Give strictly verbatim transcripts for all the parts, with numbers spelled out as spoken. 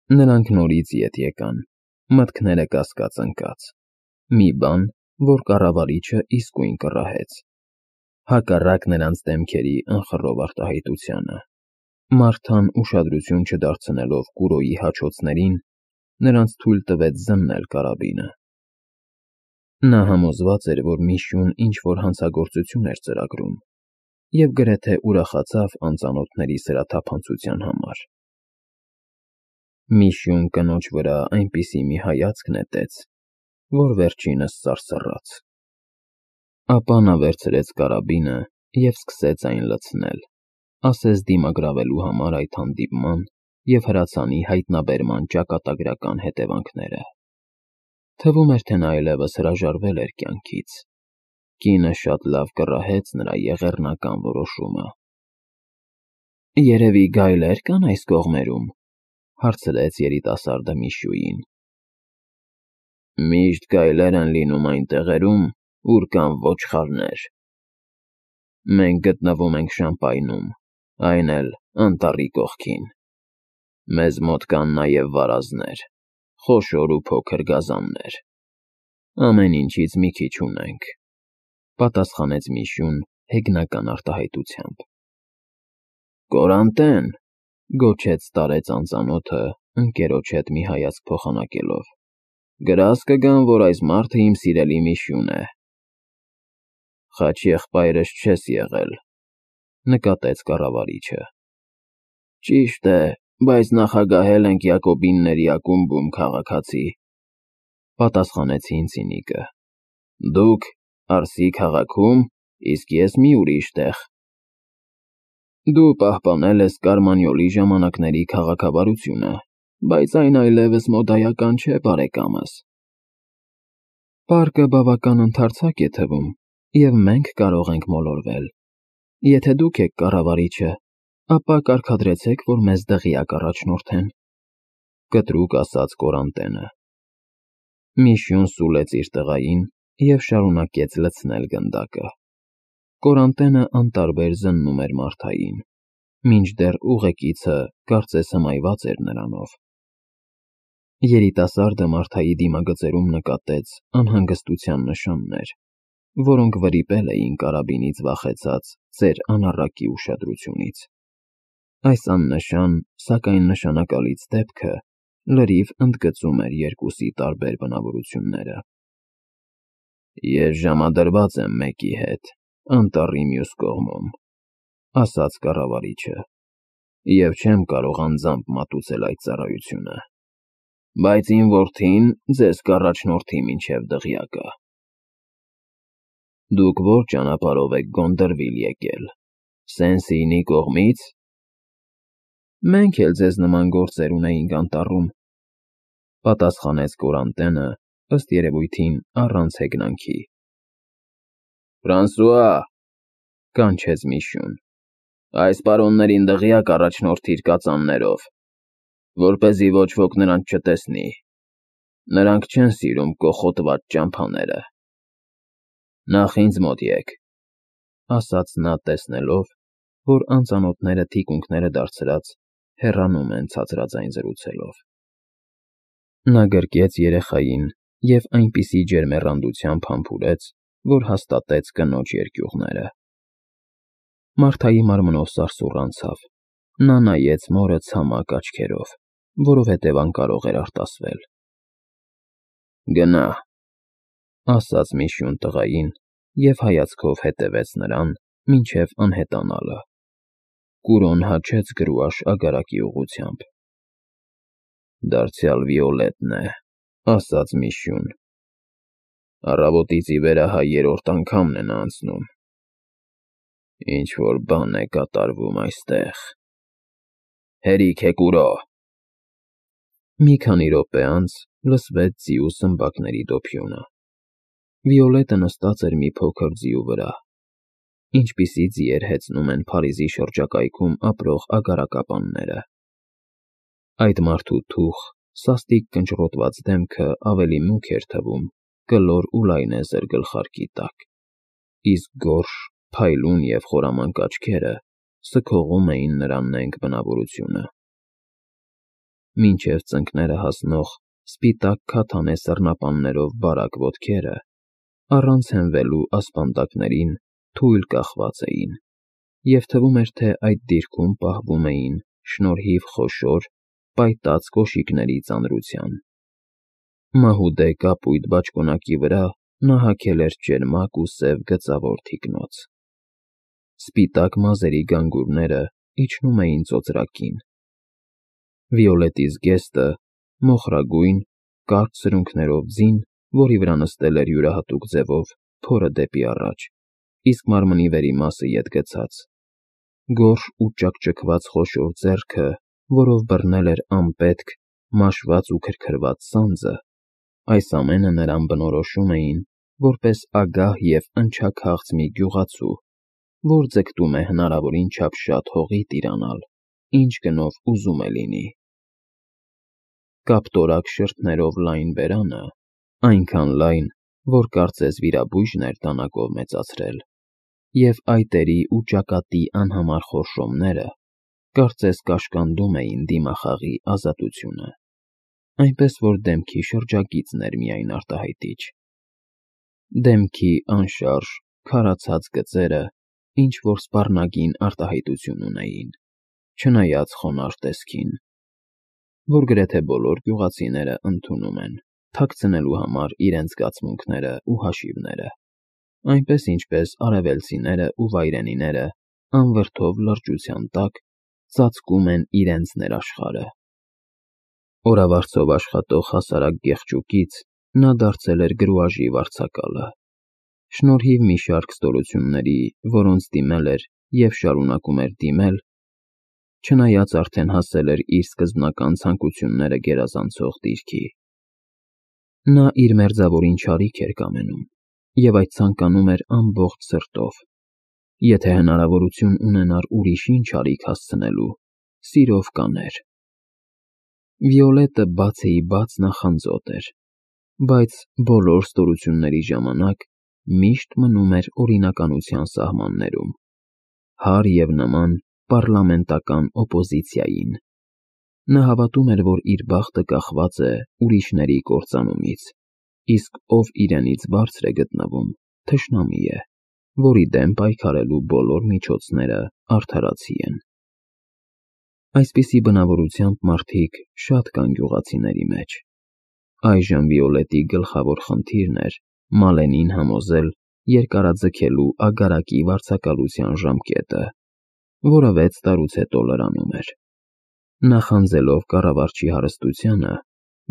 Նրանք նորից ետ եկան, մտքները կասկած ընկած, մի բան, որ կառավարիչը իսկույն կռահեց, հակառակ նրանց դեմքերի ընխռով արտահայտությանը։ Մարթան ուշադրություն չդարձնելով Կուրոյի հաչոցներին, նրանց թույլ տվեց զննել կարաբինը։ Նա համոզված էր, որ Միշուն ինչ-որ հանցագործություն էր ծրագրում, և գրեթե ուրախացավ անծանոթների սրաթափանցության համար։ Միշուն կնոջ վրա այնպիսի մի հայացք նետեց, որ վերջինս սարսռաց։ Ապա նա վերցրեց կարաբինը և սկսեց այն լցնել, ասես դիմագրավելու համար այդ հանդիպման և հրացանի հայտնաբերման ճակատագրական հետևանքները։ Թվում էր, թե նա այլևս հրաժարվել էր կյանքից։ Կինը շատ լավ կռահեց նրա եղեռնական որոշումը։ «Երևի գայլեր կան այս կողմերում,֊ հարցրեց երիտասարդը Միշուին։ «Միշտ գայլեր են լինում այն տեղերում, ուր կան ոչխարներ։ Մենք գտնվում ենք Շամպայնում, այն էլ անտառի կողքին։ Մեզ մոտ կան նաև վարազներ, խոշոր ու փոքր գազաններ։ Ամեն ինչից մի քիչ ունենք,֊ պատասխանեց Միշուն հեգնական արտահայտությամբ։ «Կորանտե՛ն,֊ գոչեց տարեց անծանոթը, ընկերոջ հետ մի հայացք փոխանակելով,֊ գրազ կգան, որ այս մարդը իմ սիրելի Միշուն է»։ «Խաչ եղբայրս չես եղել,֊ նկատեց կառավարիչը։ Ճիշտ է, բայց նախագահել ենք Յակոբինների ակումբում, քաղաքացի,֊ պատասխանեցին ցինիկը։ Դուք Արսի քաղաքում, իսկ ես մի ուրիշ տեղ։ Դու պահպանել ես Կարմանյոլի ժամանակների քաղաքավարությունը, բայց այն այլևս մոդայական չէ, բարեկամս։ Պարկը բավական ընդարձակ է թվում, և մենք կարող ենք մոլորվել։ Եթե դուք եք կառավարիչը, ապա կարգադրեցեք, որ մեզ դղյակ առաջնորդեն,֊ կտրուկ ասաց Կորանտենը։ Միշուն սուլեց իր տղային և շարունակեց լցնել գնդակը։ Կորանտենը անտարբեր զննում էր Մարթային, մինչդեռ ուղեկիցը կարծես հմայված էր նրանով։ Երիտասարդը Մարթայի դիմագծերում նկատեց անհանգստության նշաններ, որոնք վրիպել էին կարաբինից վախեցած ծեր անառակի ուշադրությունից։ Այս աննշան, սակայն նշանակալից դեպքը լրիվ ընդգծում էր երկուսի տարբեր բնավորությունները։ «Ես ժամադրված եմ մեկի հետ, անտառի մյուս կողմում,֊ ասաց կառավարիչը,֊ և չեմ կարող անձամբ մատուցել այդ ծառայությունը, բայց իմ որդին ձեզ կառաջնորդի մինչև դղյակը։ Դուք ո՞ր ճանապարհով եք Գոնդրվիլ եկել, Սեն-Սիյնի կողմի՞ց։ Մենք էլ ձեզ նման գործեր ունեինք անտառում,֊ պատասխանեց Կորանտենը, ըստ երևույթին առանց հեգնանքի։ Ֆրանսուଆ,֊ կանչեց Միշուն,֊ այս պարոններին դղյակ առաջնորդիր կածաններով, որպեսզի ոչ ոք նրանց չտեսնի։ Նրանք չեն սիրում կոխոտված ճամփաները։ Նախ ինձ մոտ եկ,֊ ասաց նա, տեսնելով, որ անծանոթները թիկունքները դարձրած հեռանում են ցածրաձայն զրուցելով։ Նա գրկեց երեխային և այնպիսի ջերմեռանդությամբ համբուրեց, որ հաստատեց կնոջ երկյուղները։ Մարթայի մարմնով սարսուռ անցավ, նա նայեց մորը ցամաք աչքերով, որովհետև անկարող էր արտասվել։ Գնա,֊ ասաց Միշուն տղային և հայացքով հետևեց նրան մինչև անհետանալը։ Կուրոն հաչեց գրուաշ ագարակի ուղղությամբ։ Դարձյալ Վիոլետն է,֊ ասաց Միշուն։ Առավոտից ի վեր ահա երրորդ անգամն է նա անցնում։ Ինչ-որ բան է կատարվում այստեղ։ Հերիք է, Կուրո։ Մի քանի րոպե անց լսվեց ձիու սմբակների դոփյունը։ Վիոլետը նստած էր մի փոքր ձիու վրա, ինչպիսի ձիեր հեծնում են Փարիզի շրջակայքում ապրող ագարակապանները։ Այդ մարդու թուխ, սաստիկ կնճռոտված դեմքը ավելի մուգ էր թվում կլոր ու լայնեզր գլխարկի տակ, իսկ գորշ, փայլուն և խորամանկ աչքերը սքողում էին նրա նենգ բնավորությունը։ մինչև ծնկները հասնող սպիտակ քաթանե սառնապաններով բարակ ոտքերը, առանց հենվելու ասպանդակներին թույլ կախված էին, և թվում էր, թե այդ դիրքում պահվում էին շնորհիվ խոշոր, պայտած կոշիկների ծանրության։ Մահուդե կապույտ բաճկոնակի վրա նա հագել էր ճերմակ ու սև գծավոր թիկնոց։ Սպիտակ մազերի գանգուրները իջնում էին ծոծրակին։ Վիոլետի զգեստը մոխրագույն, կարճ սրունքներով ձին, որի վրա նստել էր յուրահատուկ ձևով փորը դեպի առաջ, իսկ մարմնի վերի մասը ետ գցած, գորշ ու ճաքճքված խոշոր ձեռքը, որով բռնել էր անպետք, մաշված ու քրքրված սանձը, այս ամենը նրան բնորոշում էին որպես ագահ և ընչաքաղց մի գյուղացու, որ ձգտում է հնարավորին չափ շատ հողի տիրանալ, ինչ գնով ուզում է լինի։ Կապտորակ շրթներով լայն բերանը, այնքան լայն, որ կարծես վիրաբույժն էր դանակով մեծացրել, և այտերի ու ճակատի անհամար խորշոմները կարծես կաշկանդում էին դիմախաղի ազատությունը, այնպես որ դեմքի շրջագիծն էր միայն արտահայտիչ։ Դեմքի անշարժ, քարացած գծերը ինչ-որ սպառնագին արտահայտություն ունեին, չնայած խոնարհ տեսքին, որ գրեթե բոլոր գյուղացիները ընդունում են, թաքցնելու համար իրենց զգացմունքները ու հաշիվները, այնպես ինչպես արևելցիները ու վայրենիները անվրդով լրջության տակ ծածկում են իրենց ներաշխարհը։ Օրավարձով աշխատող հասարակ գեղջուկից նա դարձել էր գրուաժի վարձակալը, շնորհիվ մի շարք ստորությունների, որոնց դիմել էր և շարունակում էր դիմել, չնայած արդեն հասել էր իր սկզբնական ցանկությունները գերազանցող դիրքի։ Նա իր մերձավորին չարիք էր կամենում, և այդ ցանկանում էր ամբողջ սրտով, եթե հնարավորություն ունենար ուրիշին չարիք հասցնելու, սիրով կաներ։ Վիոլետը բացեի բաց նախանձոտ էր, բայց բոլոր ստորությունների ժամանակ միշտ մնում էր օրինականության սահմաններում, հարր և նման պառլամենտական օպոզիցիային։ Նա հավատում էր, որ իր բախտը կախված է ուրիշների կործանումից, իսկ ով իրենից բարձր է գտնվում, թշնամի է, որի դեմ պայքարելու բոլոր միջոցները արդարացի են։ Այսպիսի բնավորությամբ մարդիկ շատ կան գյուղացիների մեջ։ Այժմ Վիոլետի գլխավոր խնդիրն էր Մալենին համոզել երկարաձգելու ագարակի վարձակալության ժամկետը, որը վեց տարուց հետո լրանում էր։ Նախանձելով կառավարչի հարստությանը,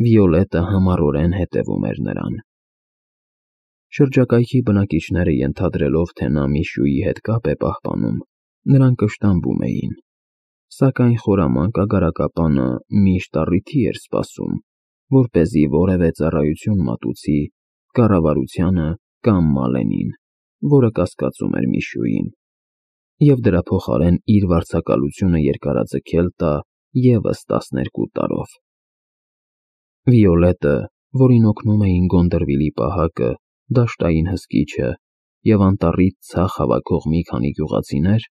Վիոլետը համառորեն հետևում էր նրան։ Շրջակայքի բնակիչները ենթադրելով, թե նա Միշուի հետ կապ է պահպանում, նրան կշտամբում էին, սակայն խորամանկ ագարակապանը միշտ առիթի էր սպասում, որպեսզի որևէ ծառայություն մատուցի կառավարությանը կամ Մալենին, որը կասկածում էր Միշուին, և դրա փոխարեն իր վարձակալությունը երկարաձգել տա ևս տասներկու տարով։ Վիոլետը, որին օգնում էին Գոնդերվիլի պահակը, դաշտային հսկիչը և անտառից ցախ հավաքող մի քանի գյուղացիներ,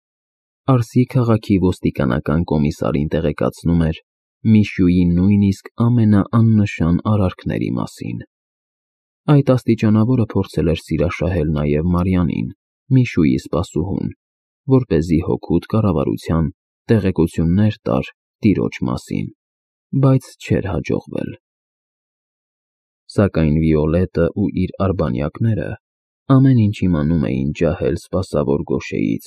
Արսի քաղաքի ոստիկանական կոմիսարին տեղեկացնում էր Միշուի նույնիսկ ամենաաննշան արարքների մասին։ Այդ աստիճանավորը փորձել էր սիրաշահել նաև Մարիանին, Միշուի սպասուհուն, որպեսզի հօգուտ կառավարության տեղեկություններ տար տիրոջ մասին, բայց չէր հաջողվել։ Սակայն Վիոլետը ու իր արբանյակները ամեն ինչ իմանում էին ջահել սպասավոր գոշեից,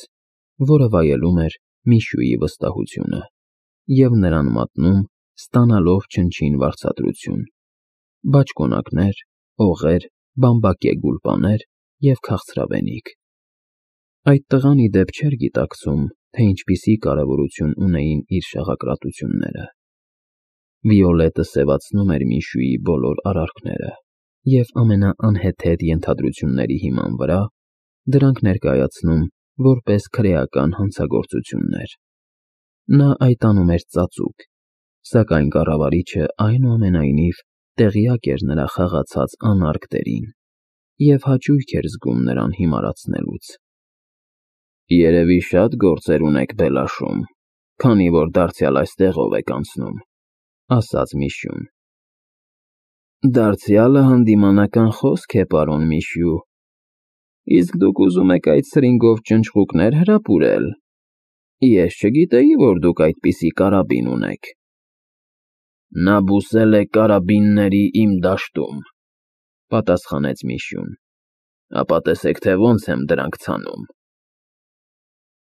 որը վայելում էր Միշուի վստահությունը, և նրան մատնում, ստանալով չնչին վարձատրություն՝ բաճկոնակներ, օղեր, բամբակե գուլպաներ և քաղցրավենիք։ Այդ տղան, ի դեպ, չէր գիտակցում, թե ինչպիսի կարևորություն ունեին իր շաղակրատությունները։ Վիոլետը սևացնում էր Միշուի բոլոր արարքները և ամենաանհեթեթ ենթադրությունների հիման վրա դրանք ներկայացնում որպես քրեական հանցագործություններ։ Նա այդ անում էր ծածուկ, սակայն կառավարիչը այնուամենայնիվ տեղյակ էր նրա խաղացած անարգ դերին և հաճույք էր զգում նրան հիմարացնելուց։ «Երևի շատ գործեր ունեք Բելաշում, քանի որ դարձյալ այստեղով եք անցնում», ասաց Միշուն։ Դարձյալը հանդիմանական խոսք է, պարոն Միշու, իսկ դուք ուզում եք այդ սրինգով ճնճղուկներ հրապուրել։ Ես չգիտեի, որ դուք այդպիսի կարաբին ունեք։ Նա բուսել է կարաբինների իմ դաշտում, պատասխանեց Միշուն, ապա տեսեք, թե ոնց եմ դրանք ցանում։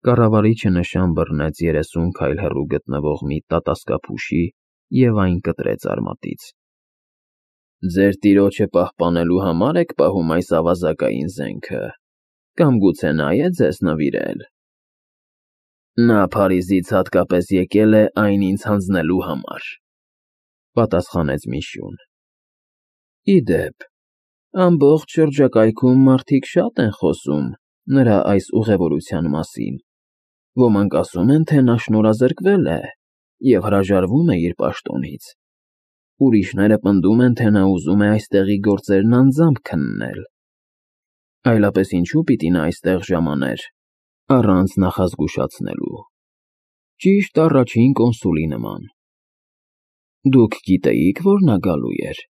Կառավարիչը նշան բռնեց երեսուն քայլ հեռու գտնվող մի տատասկափուշի և այն կտրեց արմատից։ Ձեր տիրոջը պահպանելու համար եք պահում այս ավազակային զենքը, կամ գուցե նա է ձեզ նվիրել։ Նա Փարիզից հատկապես եկել է այն ինձ հանձնելու համար, պատասխանեց Միշուն։ Ի դեպ, ամբողջ շրջակայքում մարդիկ շատ են խոսում նրա այս ուղևորության մասին, ոմանք ասում են, թե նա շնորհազրկվել է և հրաժարվում է իր պաշտոնից, ուրիշները պնդում են, թե նա ուզում է այստեղի գործերն անձամբ քննել, այլապես ինչու պիտի նա այստեղ ժամաներ առանց նախազգուշացնելու, ճիշտ առաջին կոնսուլի նման։ Դուք գիտեիք, որ նա գալու էր։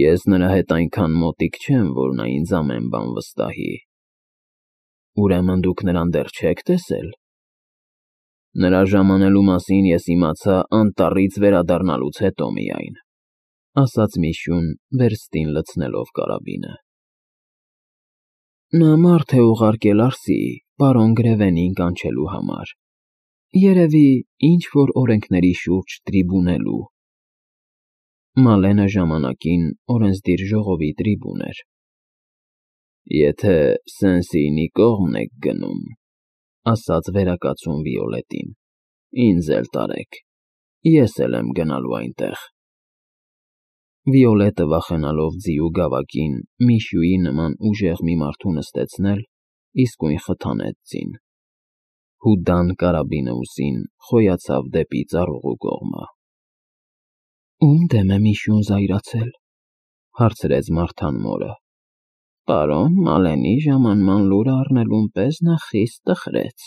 Ես նրա հետ այնքան մոտիկ չեմ, որ նա ինձ ամեն բան վստահի։ Ուրեմն դուք նրան դեռ չեք տեսել։ Նրա ժամանելու մասին ես իմացա անտառից վերադառնալուց հետո միայն, ասաց Միշուն, վերստին լցնելով կարաբինը։ Նա մարդ է ուղարկել Արսի, պարոն Գրևենին կանչելու համար, երևի ինչ-որ օրենքների շուրջ տրիբունելու։ Մալենը ժամանակին օրենսդիր ժողովի տրիբուն էր։ Եթե Սեն-Սիյնի կողմն եք գնում, ասաց վերակացուն Վիոլետին, ինձ էլ տարեք, ես էլ եմ գնալու այնտեղ։ Վիոլետը վախենալով ձիու գավակին Միշուի նման ուժեղ մի մարդու նստեցնել, իսկույն խթանեց ձին։ Հուդան կարաբինը ուսին խոյացավ դեպի ծառուղու կողմը։ Ում դեմ է Միշուն զայրացել, հարցրեց Մարթան մորը։ Պարոն Մալենի ժամանման լուրը առնելուն պես նա խիստ տխրեց,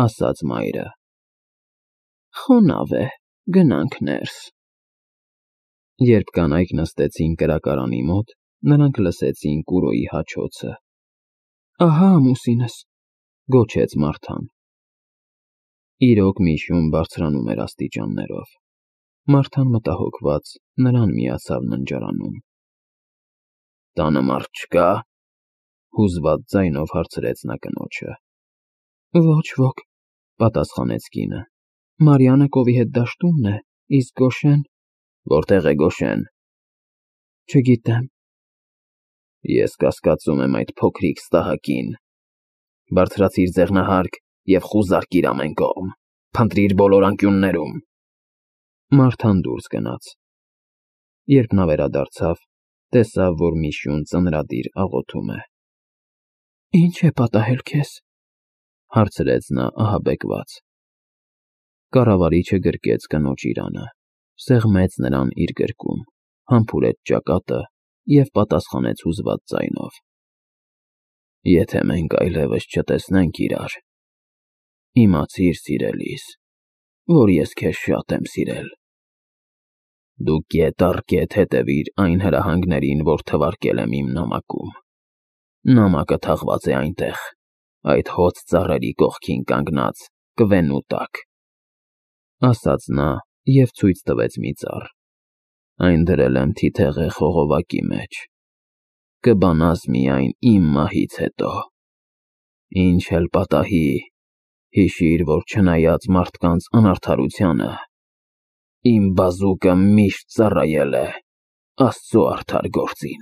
ասաց մայրը։ Խոնավ է, գնանք ներս։ Երբ կանայք նստեցին կրակարանի մոտ, նրանք լսեցին Կուրոյի հաչոցը։ Ահա ամուսինս, գոչեց Մարթան։ Իրոք Միշուն բարձրանում էր աստիճաններով։ Մարթան մտահոգված նրան միացավ ննջարանում։ Տանը մարդ չկա, հուզված ձայնով հարցրեց նա կնոջը։ Ոչ ոք, պատասխանեց կինը։ Մարիանը կովի հետ դաշտումն է, իսկ Գոշեն… Որտեղ է Գոշեն։ Չգիտեմ։ Ես կասկածում եմ այդ փոքրիկ ստահակին։ Բարձրացիր ձեղնահարկ և խուզարկիր ամեն կողմ, փնտրիր բոլոր անկյուններում։ Մարթան դուրս գնաց։ Երբ նա վերադարձավ, տեսավ, որ Միշուն ծնրադիր աղոթում է։ Ինչ է պատահել քեզ, հարցրեց նա ահաբեկված։ Կառավարիչը գրկեց կնոջ իրանը, սեղմեց նրան իր գրկում, համբուրեց ճակատը և պատասխանեց հուզված ձայնով. Եթե մենք այլևս չտեսնենք իրար, իմացիր, սիրելիս, որ ես քեզ շատ եմ սիրել։ Դու կետ առ կետ հետևիր այն հրահանգներին, որ թվարկել եմ իմ նամակում։ Նամակը թաղված է այնտեղ, այդ հոծ ծառերի կողքին կանգնած կվենու տակ, ասաց նա և ցույց տվեց մի ծառ։ Այն դրել եմ թիթեղե խողովակի մեջ։ Կբանաս միայն իմ մահից հետո։ Ինչ էլ պատահի, հիշիր, որ չնայած մարդկանց անարդարությանը, իմ բազուկը միշտ ծառայել է Աստծո արդար գործին։